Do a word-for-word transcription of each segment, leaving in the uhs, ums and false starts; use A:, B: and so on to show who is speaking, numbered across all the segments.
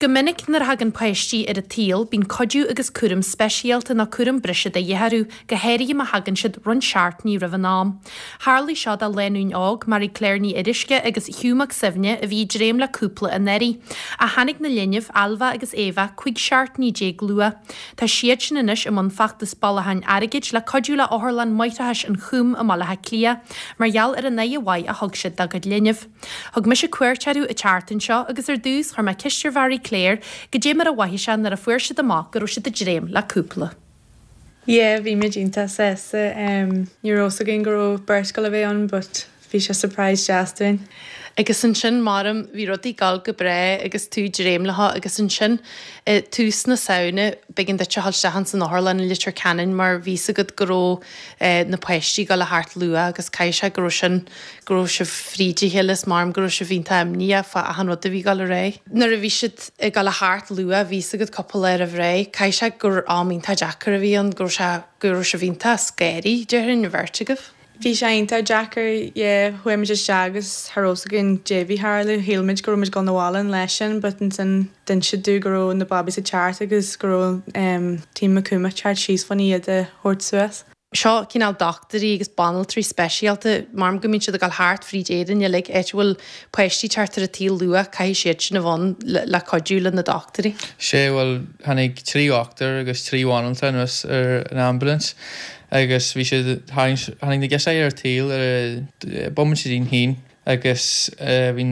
A: Go minic nuair a thagann páistí ar an tsaol bíonn cuidiú agus cúram speisialta nó cúram breise de dhíth orthu, go háirithe má thagann siad roinnt seachtainí roimh an am. Tharlaigh seo do lánúin óg, Mary Claire Ní Fhuaruisce agus Hugh Mac Suibhne a bhí ag dréim le cúpla anuraidh. Ach tháinig na linbh, Ailbhe agus Éabha, cúig seachtainí déag luath. Tá siad sin anois i mbun feachtas bailiúcháin airgid le cuidiú le Otharlann Máithreachais an Chúim i mBaile Átha Cliath mar gheall ar an aghaidh mhaith a thug siad dá gcuid linbh. Thug mise cuairt orthu an tseachtain seo agus ar dtús chuir mé ceist ar Mhary Claire goidé mar a mhothaigh sé nuair a fuair siad amach go raibh siad ag dréim le cúpla.
B: Yeah, bhí muid iontach sásta um, ní raibh a fhios againn go raibh beirt go le bheith ann, but bhí sé surprise deas dúinn.
A: Agus ansin maram bhí rudaí ag gabháil go breá agus tú ag dréim leo agus ansin eh, tús na Samhna b'éigean duit a dhul isteach san otharlann i Leitir Ceanainn mar bhí a fhios agat go raibh eh, na páistí ag gabháil a theacht luath agus caithfidh sé go raibh sin go raibh sibh fríd a chéile is maram go raibh sibh iontach imníoch fá achan rud a bhí ag gabháil ar aghaidh. Nuair a bhí siad ag gabháil a theacht luath bhí a fhios agat cúpla lá roimh ré, caithfidh sé gur am iontach deacair a bhí ann go raibh sé go raibh sibh iontach scary déarfainn an bheirt agaibh.
B: Bhí sé iontach deacair chuaigh muid isteach agus cha raibh a fhios againn goidé bhí ag tarlú shíl muid go raibh muid ag dul abhaile an lá sin, but ansin d'inis siad dúinn go raibh na babies ag teacht agus go raibh um, team Coombe ag teacht síos chun iad a thabhairt suas.
A: Seo cineál dochtúirí agus banaltraí speisialta mar go mbíonn siad ag gabháil thart fríd Éirinn uilig áit a bhfuil páistí teacht ar an tsaol luath caithfidh siad sin a bheith le, le cuidiú le na dochtúirí.
C: Sé bhuel tháinig trí dhochtúir agus trí bhanaltra anuas ar an ambulance agus bhí siad tháinig na girseachaí ar an tsaol ar bomaite don haon agus bhí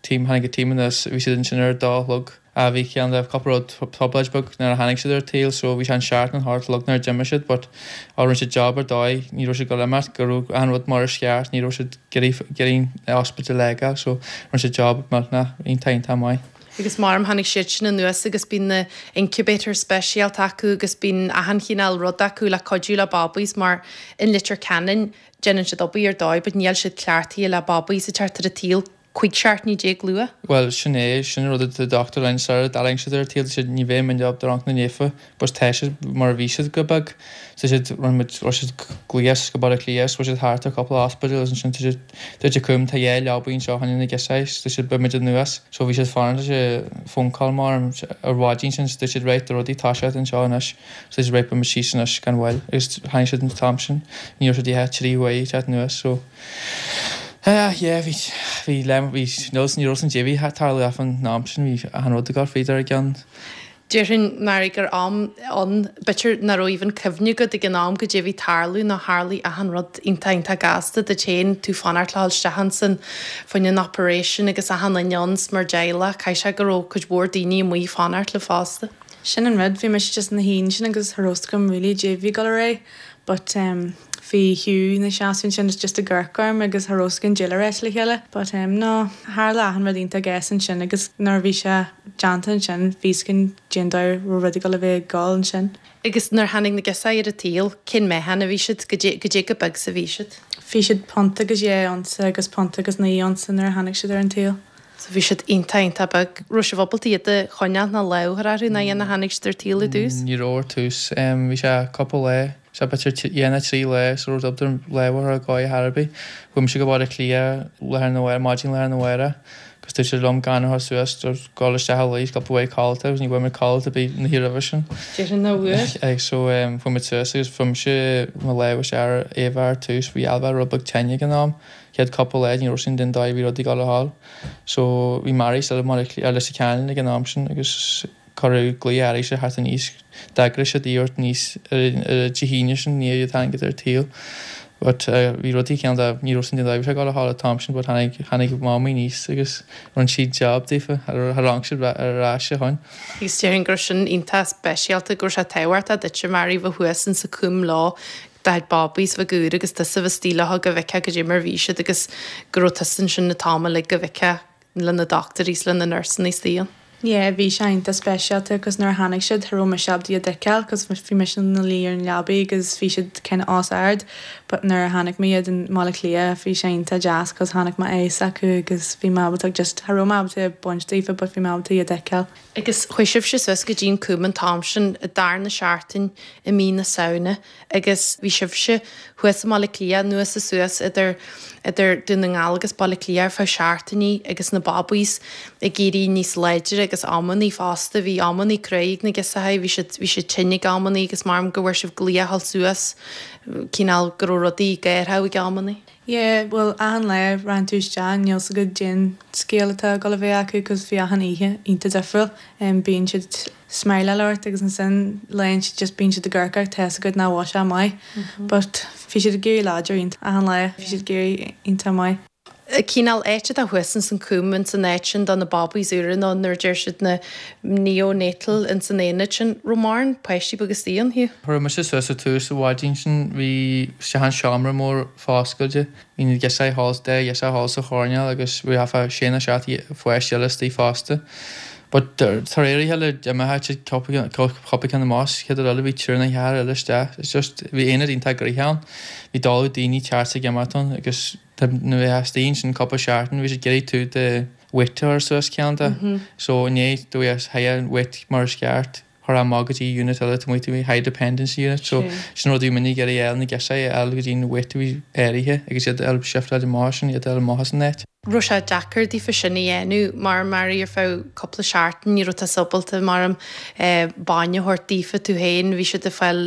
C: team tháinig an team anuas bhí siad ansin ar dá chlog a bhí ceann de cúpla rud trioblóid beag nuair a tháinig siad ar an tsaol so bhí sé an seacht an thart log nuair a d'imigh siad but á rinne siad job ar dóigh ní raibh siad go imeacht go raibh an rud mar is ceart ní raibh siad ag iarraidh hospital lega so rinne siad job millteanach iontach iontach maith.
A: Agus maram tháinig siad sin anuas agus bíonn na incubator speisialta acu agus bíonn achan chineál rud acu le cuidiú le babies mar in Leitir Ceanainn déanann siad obair ar dóigh, but níl siad cleachtaithe le babies ag teacht ar an tsaol cúig seachtainí déag luath.
C: Well sin é sin rud a doctor lein sar daling siad ar tíl siad ní bheidh min job rank na nefa, bus tá siad mar a bhí siad go beag so siad run muid siad gléas go Baile Átha Cliath siad thart ar cúpla hospital sin tu cum tá dhá leabaidh anseo chun na girseachaí tá siad beimid anuas so bhí siad fan sé phone call mar ar mhaidin sin tu siad réit rudaí tá siad anseo anois so siad réit beimid síos anois gan mhoill agus tháinig siad an t-am sin ní raibh siad trí uair teacht anuas so Uh, yeah, bhí bhí le bhí ní ní raibh an débhí tarlú an am sin bhí an rud go féidir a gceann.
A: Déarfainn mar gur am an b'fhéidir nach raibh even cuimhne agat ag an am goidé bhí ag tarlú ná tharlaigh achan rud iontach iontach gasta de téin tú fanacht le isteach san faoin an operation agus achan duine ann mar dteaghlach caithfidh sé go raibh cuid mhór daoine amuigh fanacht le fosta.
B: Sin an rud bhí mise just na haon sin agus cha raibh a fhios agam really goidé bhí ag dul ar aghaidh, but um, bhí Hugh na seaún sin is just ag amharc orm agus cha raibh a fhios againn goidé le rá le chéile, but um, no tharla achan rud iontach gasta ansin agus nuair a bhí sé déanta ansin bhí a fhios againn cén dóigh raibh rudaí le bheith ag dul ansin.
A: Agus nuair tháinig na girseachaí ar an tsaol cén meáchan a bhí siad goidé chomh beag is a bhí siad.
B: Bhí siad punt agus dhá unsa agus punt agus naoi unsa nuair a tháinig siad ar an tsaol.
A: So bhí siad iontach iontach beag raibh sibh ábalta iad a choinneáil ná lámh a chur orthu ná dhéana tháinig siad ar an tsaol i dtús.
C: Ní raibh ar tús bhí sé cúpla lá sé b'fhéidir dhéana trí lá so raibh dubtar leabhar go Harbí Chuaigh sé go Baile Átha Cliath le na maidin le na bhhaire agus tú sé lom gan suas gáil isteach leis go bhfuil codlata agus ní bhfuil mé codlata bí na hí sin.
A: Dé na bhfuair?
C: Ag so chuaigh muid suas agus fuair sé mo lámh sé ar Éabha ar tús bhí Ailbhe rud beag tinn ag an am chéad cúpla lá ní raibh sin den dá bhí rudaí ag gabháil a fháil. So bhí Mary still mar ar Leitir Ceanainn ag an am sin agus cuireadh glaoch arís a theacht aníos d'eagraigh siad iad níos ar Dé hAoine sin ní tháinig ar an tsaol. But bhí rudaí ceann de ní raibh sin den dá sé gáil a háil t-am sin, but tháinig tháinig mamaí aníos agus rinne siad job daofa ar rang siad ar ais a shoin.
A: Agus déarfainn gur sin iontach speisialta gur sé tábhachtach duit Mary bheith thuas in sa Coombe lá dá babies bheith gúr agus tusa bheith stíle go bhfeicfeá goidé mar bhí siad agus go raibh tusa ansin na t-am uilig go bhfeicfeá le na dochtúirí le na nursanna istigh.
B: Yeah, bhí sé iontach speisialta agus nuair a tháinig siad cha raibh mise ábalta iad a fheiceáil cos bhí mise ina luí ar an leabaidh agus bhí siad kind of os ard, but But nuair a chonaic mé iad i mBaile Átha Cliath bhí sé iontach deas cos chonaic mé é acu agus bhí mé ábalta just cha raibh mé ábalta baint daofa but bhí mé ábalta iad a fheiceáil.
A: Agus chuaigh sibhse suas go dtí an Coombe an t-am sin i darna seachtain i mí na Samhna agus bhí sibhse thuas i mBaile Átha Cliath anuas is suas idir idir Dún na nGall agus Baile Átha Cliath ar feadh seachtainí agus na babaís ag éirí níos láidre agus amannaí fosta bhí amannaí cruaidh ag na girseachaí bhí siad bhí siad tinn ag amannaí agus maram go bhfuair sibh glaoch a dhul suas cineál go raibh rudaí géartha ag amannaí.
B: Yeah, well achan lá raibh tú isteach níl a fhios agat cén scéal atá ag dul a bheith acu cos bhí achan oíche iontach difriúil. Um, bíonn siad smileáil ort agus ansin léonn siad just bíonn siad ag amharc tá a fhios agat nach bhfuil sé maith. But bhí siad ag éirí láidir iontach achan lá bhí siad ag éirí iontach maith.
A: Cineál áit atá thuas ins an Coombe ins an áit sin do na babaís úra nó nuair a deir siad na neonatal ins an aonad sin raibh mórán páistí beaga istigh ann Hugh.
C: Chuir mise suas sa tús sa mhaidin sin bhí isteach an seomra mór foscailte bhí na girseachaí thall de ghirseach thall sa choirnéal agus bhí afa sé nó seacht pháiste eile istigh fosta. But tar éirithe le imeacht cúpla ceann amach chéad eile bhí triúr nó ceathrar eile isteach. It's just bhí aonad iontach gnoitheach ann. Bhí dála daoine ceart ag imeacht ann agus nuair a theastaíonn sin cúpla seachtain bhí siad ag iarraidh tú do weight a chur suas ceann de. So inné do bhí high weight mar is ceart chuir amach go dtí unit eile tá muid high dependency unit so sin rud a bhí muid ag iarraidh fháil na girseachaí a fháil go dtí an weight a bhí áirithe agus iad a fháil shiftáil amach sin iad a fháil amach as an áit.
A: Raibh sé deacair daofa sin a dhéanamh mar mar ar feadh cúpla seachtain ní raibh tú ábalta mar am bainne a thabhairt daofa tú féin bhí siad ag fáil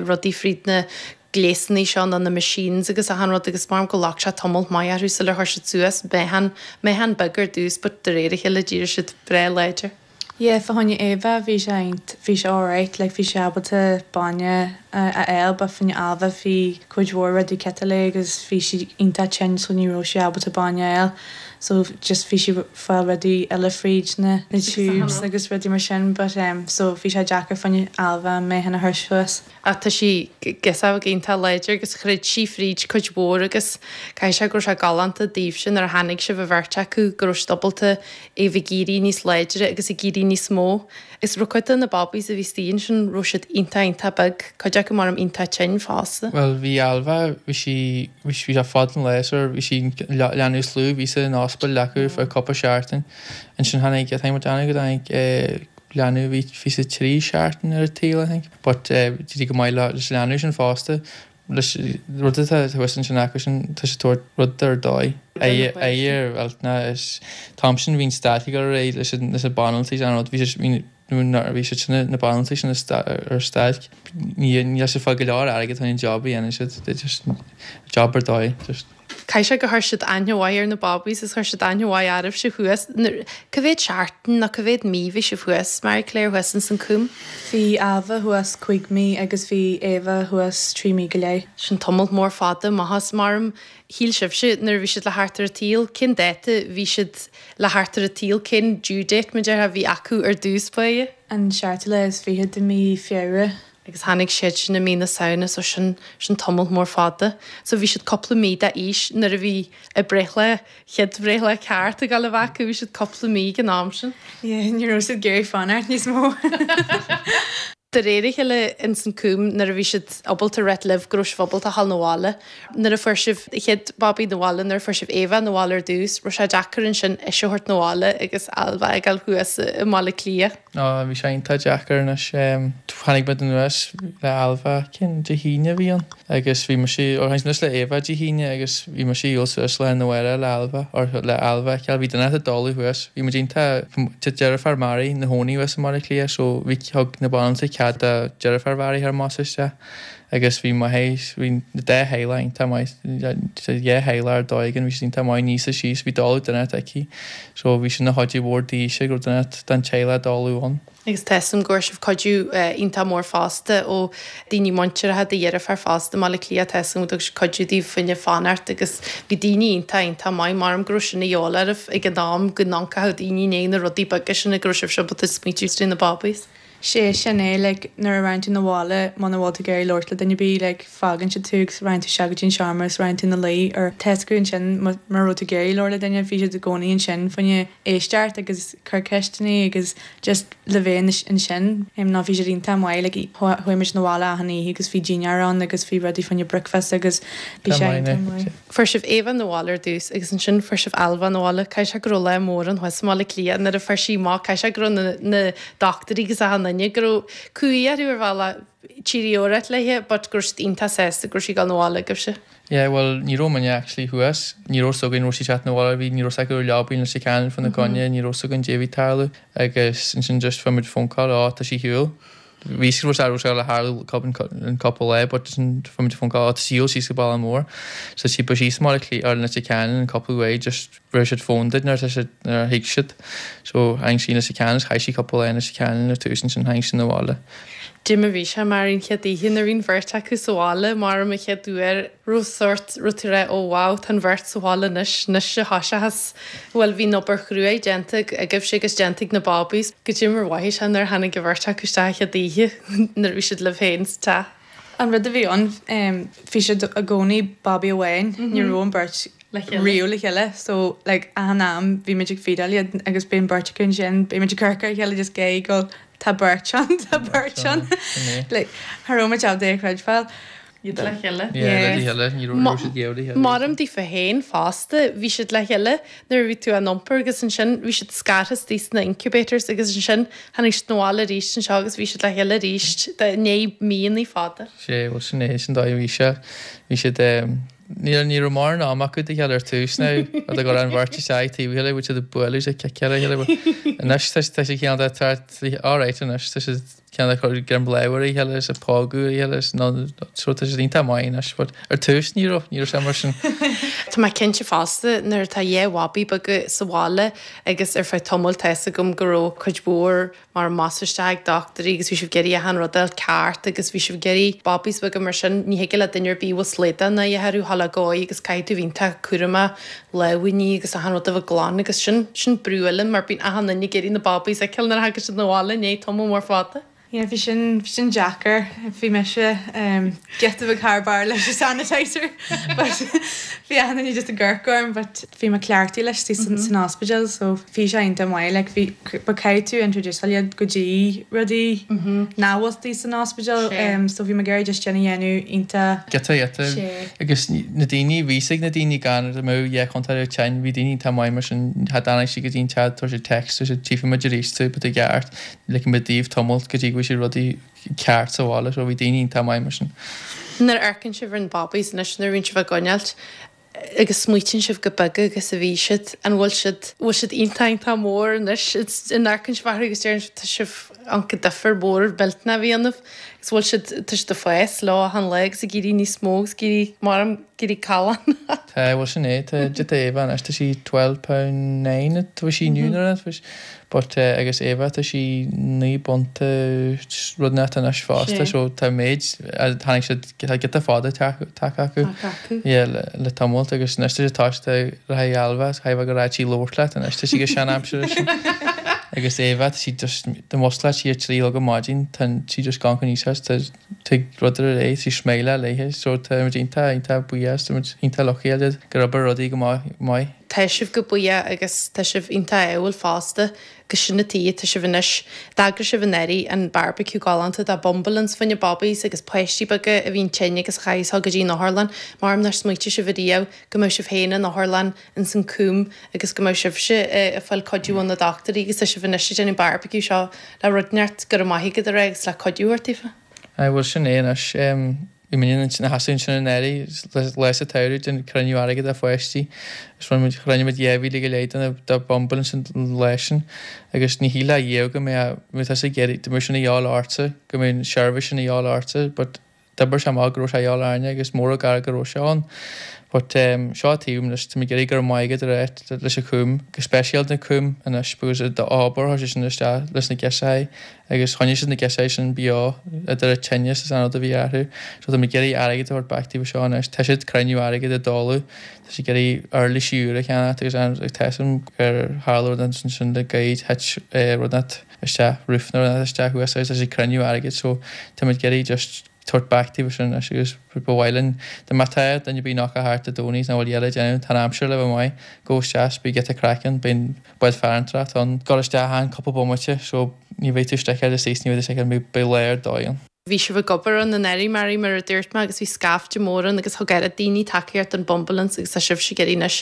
A: rudaí fríd na gléasanna seo nó na machines agus achan rud agus mar go ghlac sé tamall maith orthu sular chuir siad suas meáchan meáchan beag ar dtús but de réir a chéile d'éirigh siad breá láidir.
B: Yeah, fá choinne Éabha bhí sé bhí sé alright, like bhí sé ábalta bainne a fháil but fá choinne Ailbhe bhí cuid mhór rudaí ciotail agus bhí sí iontach tinn so ní raibh sí ábalta bainne a fháil. So just bhí sí fáil rudaí eile fríd na na tubes agus rudaí mar sin but um, so bhí sé deacair fá choinne Ailbhe meáchan a chur suas.
A: Ach tá sí girseach iontach láidir agus throid sí fríd cuid mhór agus caithfidh sé go raibh sé galánta daoibhse nuair a tháinig sibh a bheirt acu go raibh siad ábalta é bheith ag éirí níos láidre agus ag éirí níos mó. Is raibh cuid de na babaís a bhí istigh ansin raibh siad iontach iontach beag, cuid acu mar am iontach tinn fosta.
C: Well bhí Ailbhe bhí sí bhí sé fad an lae bhí sí leanbh is lú bhí sa ospidéal acu fá cúpla seachtain. Ansin tháinig tá muid go dtáinig leanbh bhí bhí sa trí seachtain ar an tsaol I think. But dtí go maith leis leanbh sin fosta leis rud atá thuas ansin acu sin tá sé tabhairt rud ar dóigh. Air well na is t-am sin bhí'n stailc ar réidh leis leis na banaltraí an rud bhí sé bhí bhí siad sin na banaltraí sin ar stailc ní níl sé fáil go leor airgead an job a dhéanann siad they just job ar dóigh just
A: Caithfidh sé gur chuir siad aithne mhaith ar na babaís is chuir siad aithne mhaith oraibhse thuas. Cá mhéad seachtain nó cá mhéad mí bhí sibh thuas, Mary Claire thuas ins an Coombe?
B: Bhí Ailbhe thuas cúig mí agus bhí Éabha thuas trí mí go leith.
A: Sin tamall mór fada maitheas maram shíl sibhse nuair a bhí siad le theacht ar an tsaol, cén dáta bhí siad le theacht ar an tsaol, cén due date mar déarfá a bhí acu ar dtús báire?
B: An seachtú lá is fiche de mí Feabhra.
A: Agus tháinig siad sin i mí na Samhna so sin sin tamall mór fada. So bhí siad cúpla mí d'aois nuair a bhí a breithlá chéad bhreithlá ceart ag dul a bheith acu, bhí siad cúpla mí ag an am sin.
B: Yeah, ní raibh siad ag iarraidh fanacht níos mó.
A: De réir a chéile ins an Coombe nuair a bhí siad ábalta rith libh go raibh sibh ábalta dhul 'na bhaile. Nuair a fuair sibh chéad babaí 'na bhaile, nuair a fuair sibh Éabha 'na bhaile ar dtús, raibh sé deacair ansin ise a thabhairt 'na bhaile agus Ailbhe ag dul thuas i mBaile Átha Cliath.
C: Ná bhí sé iontach deacair anois tháinig muid anuas le Ailbhe cén Dé hAoine a bhí ann agus bhí mise ó tháinig anuas le Éabha Dé hAoine agus bhí mise ag dul suas le na bhaile le Ailbhe or le Ailbhe ceal bhí duine ag dul thuas bhí muid iontach deirfiúr Mary ina cónaí thuas i mBaile Átha Cliath so bhí thug na banaltraí cead do deirfiúr Mhary thar amach isteach agus bhí mo bhí na dá theaghlach iontach maith dhá theaghlach ar dóigh bhí siad iontach maith níos síos bhí dála duine aici so bhí sin na chuid mhór daoise go raibh duine den teaghlach dála ann.
A: Agus tá a fhios agam go raibh sibh cuidiú iontach mór fosta ó daoine muinteartha do dheirfiúr fosta i mBaile Átha Cliath tá a fhios agam go dtug siad cuidiú daoibh fá choinne fanacht agus bhí daoine iontach iontach maith maram go raibh sin a dhíobháil oraibh ag an am go n-amharcfadh daoine i ndiaidh na rudaí beaga sin go raibh sibh ábalta smaointiú trí na babaís.
B: Sé sin é like, nuair a raibh tú na bhaile muna bhfuil tú ag iarraidh labhairt le duine bí like, fágann siad tú agus raibh tú se go dtí'n seomra is raibh tú na luí ar tesú ansin mar raibh tú ag iarraidh labhairt le duine bhí siad i gcónaí ansin fá choinne éisteacht agus cur ceisteanna agus just le bheith ansin ná bhí siad iontach maith like, chuaigh muid na bhaile achan oíche agus bhí dinnéar ann agus bhí rudaí fá choinne breakfast agus bhí sé iontach maith.
A: Fuair sibh Éabha na bhaile ar dtús agus ansin fuair sibh Ailbhe na bhaile Caithfidh sé go raibh lá mór an thuas i mBaile Átha Cliath nuair a fuair sí amach caithfidh sé go raibh na, na dochtúirí agus achan duine go raibh cumhaidh orthu ar bhealach tíríórat léithe, but go raibh siad iontach sásta go raibh sí ag dul na bhaile agaibhse.
C: Yeah, well, ní raibh muidne actually thuas, ní raibh 's againn raibh sí teacht na bhaile bhí ní raibh 's acu leabainn leis cean fan na coinne, ní raibh 's againn dé bhí tarlú agus ansin just fuair muid phone call á tá sí shiúl. Bhí sí raibh sé le tharlú an cúpla lá, but sin fuair muid phone call á tá sí shiúl síos go Baile Mór. So sí ba síos mar ar na cean an cúpla uair just bhfuair siad phone duit nuair tá siad nuair a thuig siad. So tháinig sí na cean chaith sí cúpla lá na cean ar tús sin tháinig sí na bhaile.
A: Dim a bhí sé mar an chéad oíche nuair a bhí an bheirt acu sa bhaile mar an chéad uair raibh sórt rud tú rá ó wow tá an bheirt sa bhaile anois anois a thoiseachas bhfuil bhí an obair chrua déanta agaibhse agus déanta ag na bábaís go dtí mar mhothaigh sé nuair a tháinig an bheirt acu isteach an chéad oíche nuair a bhí siad libh féin sa teach.
B: An rud a bhí ann bhí siad i gcónaí babaí amháin ní raibh an bheirt
A: Le chéile.
B: riamh le chéile so like achan am bhí muid ag feedáil iad agus bíonn beirt acu ansin bhí muid ag cur ar chéile just gé go tá beirt ann tá beirt ann like cha raibh muid ábalta é a chreidbheáil.
A: Iad le chéile.
C: Yeah, le chéile, ní raibh siad le chéile.
A: Maram daofa féin fosta, bhí siad le chéile nuair a bhí tú á n-iompar agus ansin bhí siad scartha istigh sna incubators agus ansin tháinig siad na bhaile arís anseo agus bhí siad le chéile arís de né míonna fada.
C: Sé bhfuil sin é sin dóigh bhí sé bhí siad ní ní raibh mórán am acu de chéile ar tús ná a go an bheirt isteach taobh chéile bhí siad ag bualadh sé chéile chéile anois tá tá sé ceann de alright anois tá siad ceann de chur greim láimhe ar chéile is ag pógadh ar chéile is nó so tá siad iontach maith anois but ar tús ní raibh ní raibh sé mar sin.
A: Tá mé cinnte fosta nuair atá dhá bhabaí beaga sa bhaile agus ar feadh tamaill tá fhios agam go raibh cuid mhór mar masáiste ag dochtúirí agus bhí sibh ag iarraidh achan rud a fháil ceart agus bhí sibh ag iarraidh babies beaga mar sin ní thig le duine ar bith bhfuil slaghdán a dhéanamh thá le gcói agus caithfidh tú iontach cúramach lámhainní agus achan rud a bheith glan agus sin sin brú eile mar bíonn achan duine ag iarraidh na babies a fheiceáil nuair a thagann siad na bhaile i ndiaidh tamall mór fada.
B: Yeah, bhí sin bhí sin deacair bhí mise um, giota beag thar barr leis an sanitizer but bhí achan duine just ag amharc orm but bhí mé cleachtaithe leis mm -hmm. san ospidéal so bhí sé iontach maith like bhí ba caithfidh tú introduce iad go dtí rudaí mm -hmm. nach bhfuil san ospidéal um, so bhí mé ag iarraidh just déanamh dhéanamh iontach
C: Giota giota
B: Sé.
C: agus na daoine bhí ag na daoine gan a mó dhe chontar tein bhí daoine tá maith mar sin tháinig sí go dtí'n teach tá sé text tá sé tífa muid arís tú but i gceart le go díobh tamalt go dtí go bhfuil sé rudaí ceart sa bhaile so bhí daoine tá maith mar sin.
A: Nuair a amharcann sibh ar na babies anois nuair a bhíonn sibh á gcoinneáilt agus smaoitíonn sibh go beaga agus a bhí siad an bhfuil siad bhfuil siad iontach iontach mór anois an amharcann sibh orthu agus deireann sibh tá sibh an difear mór millteanach a dhéanamh agus bhfuil siad tá siad ag fás lá achan lá agus ag éirí níos mó agus ag éirí mar ag éirí callán.
C: Tá bhfuil sin é tá giota Éabha anois tá sí twelve pound nine tá sí inniu nuair a but uh, agus Éabha tá sí naoi bpunta rud net anois fosta
A: Sé.
C: so tá méid tháinig siad tá giota fada tagtha acu
A: acu.
C: Yeah, le, le tamalt agus anois tá sé táiste le haghaidh Ailbhe chaithfidh go raibh sí labhairt leat anois tá sí go sean-aimsire sin. agus Éabha tá sí just de muscla sí ar trí go maidin tá sí just gan chun níos tá tig rud ar é sí sméile léithe so tá muid iontach iontach buíoch tá muid iontach lucky go raibh rudaí go maith maith.
A: Tá sibh go buíoch agus tá sibh iontach ádhúil fosta go sin na tí tá sibh anois d'eagraigh sibh anuraidh an barbecue galánta de bumbulance fá choinne babies agus páistí beaga a bhíonn tinn agus a chaithfidh go dtí an otharlann mar nár smaointigh sibh ariamh go mbeadh sibh féin in otharlann ins an Coombe agus go mbeadh sibhse ag fáil cuidiú ó na dochtúirí agus tá sibh anois ag déanamh barbecue seo le rud neart go raibh maith agat a rá agus le cuidiú ort daofa.
C: Ai bhfuil sin é anois bhí muid na hasún sin an éirí le sa tsamhradh den cruinniú airgead a pháistí is rinne muid rinne muid dhá mhíle go leith de de bumbulance sin leis sin agus ní shílfeá riamh go mbeadh mé tá sé ag iarraidh go mbeadh sin a dheáil ortsa go mbeadh an seirbhís sin a dheáil ortsa but D'oibir sé amach go raibh sé a dhíobháil orainne agus mór an gar go raibh sé ann. But um, seo taobh anois tá mé ag iarraidh go raibh maith agat a ráit leis an Chúm, go speisialta na Cúm anois because d'obair chuir sé sin isteach leis na girseachaí agus choinnigh siad na girseachaí sin beo idir an tinneas is an rud a bhí orthu. So tá mé ag iarraidh airgead a thabhairt back daofa seo anois. Tá siad cruinniú airgead ag dáileadh, tá siad ag iarraidh uirlisí úr a cheannacht agus an tá a fhios agam gur tharla rud ansin le gairid thit rud inteacht isteach roof nó rud inteacht isteach thuas agus tá siad ag cruinniú airgead so tá muid ag iarraidh just tabhairt back daofa sin anois agus ba mhaith linn dá mbeadh tá duine ar bith nach thart Dé Domhnaigh is nach bhfuil a le déanamh tá an aimsir le bheith maith gabh isteach beidh giota craic ann beidh bád farantóireacht ann gabh isteach ann cúpla bomaite so ní bheidh tú istigh ar istigh ní bheidh tú istigh ar beidh lá ar dóigh ann.
A: Bhí sibh ag obair ann anuraidh Mary mar a dúirt mé agus bhí scaifte mór ann agus thug oiread daoine tacaíocht don Bumbulance agus tá sibhse ag iarraidh anois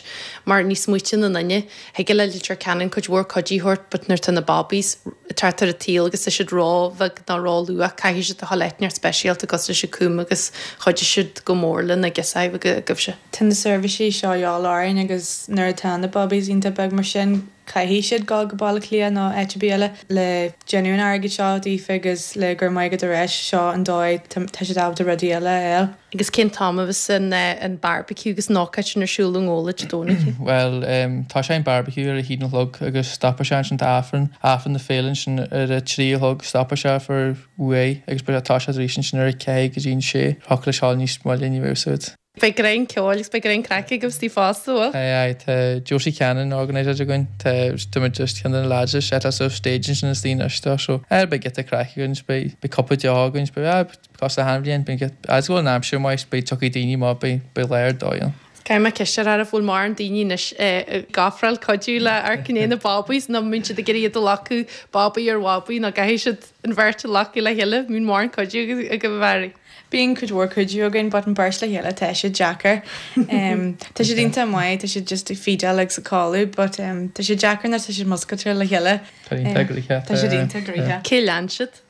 A: mar ní smaoitíonn an duine thig le Leitir Ceanainn cuid mhór cuidiú a thabhairt but nuair tá na bobbies thart ar an tsaol agus tá siad ró-bheag nó ró-luath caithfidh siad a dhul áit inteacht speisialta cosúil leis an Coombe agus chuidigh siad go mór le na girseachaí agaibhse.
B: Tá na seirbhísí seo a dhíobháil orainn agus nuair atá na bobbies iontach beag mar sin caithfidh siad dul go Baile Átha Cliath nó áit ar bith eile le déanamh an airgid seo daofa agus le gur maith go réis seo an dóigh tá siad ábalta rudaí eile a fháil.
A: Agus cén t-am a bheas an an barbecue agus an ócáid sin ar siúl i nGabhla Dé Domhnaigh?
C: Well um, tá sé an barbecue ar a haon a chlog agus stopfaidh sé ansin tá Aifreann Aifreann na féile sin ar a trí a chlog stopfaidh sé for uair agus tá sé arís sin ar a ceathair go dtí an sé Thiocfadh leis thall níos moille ní bheidh siad.
A: Beidh greim ceoil agus beidh greim craic agaibh istigh fosta bhfuil?
C: Aye aye tá Josie Cannon organiser againn tá tá muid just ceann de na lads is set us up stage ansin is daoine isteach so eh beidh giota craic againn beidh beidh cúpla deoch againn beidh ah cosúil le achan bhliain beidh as go bhfuil an aimsir maith beidh tiocfaidh daoine maith beidh beidh lá ar dóigh ann.
A: Caithfidh mé ceist a chur oraibh bhfuil mórán daoine anois ag ofráil cuidiú le Amharc i ndiaidh na bobbies nó mbíonn siad ag iarraidh iad a ghlacadh babaí ar bhabaí nó caithfidh siad an bheirt a ghlacadh le chéile mbíonn mórán cuidiú agaibh a Mhary.
B: Bíonn cuid mhór cuidiú againn but an beirt le chéile tá sé deacair. Um, tá siad iontach maith, tá siad just ag feedáil agus ag codladh, but um, tá sé deacair nuair tá siad muscailte le chéile.
C: Tá iontach gnoitheach.
B: Tá siad iontach gnoitheach.
A: Cé lean siad?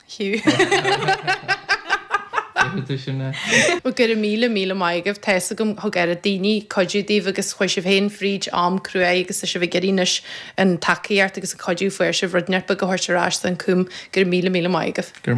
B: Hugh.
C: sin é.
A: Well go raibh míle míle maith agaibh tá a fhios agam thug oiread daoine cuidiú daoibh agus chuaigh sibh féin fríd am cruaidh agus tá sibh ag iarraidh anois an tacaíocht agus an cuidiú fuair sibh rud inteacht beag a thabhairt ar ais don Coombe go raibh míle míle maith agaibh.
C: Gur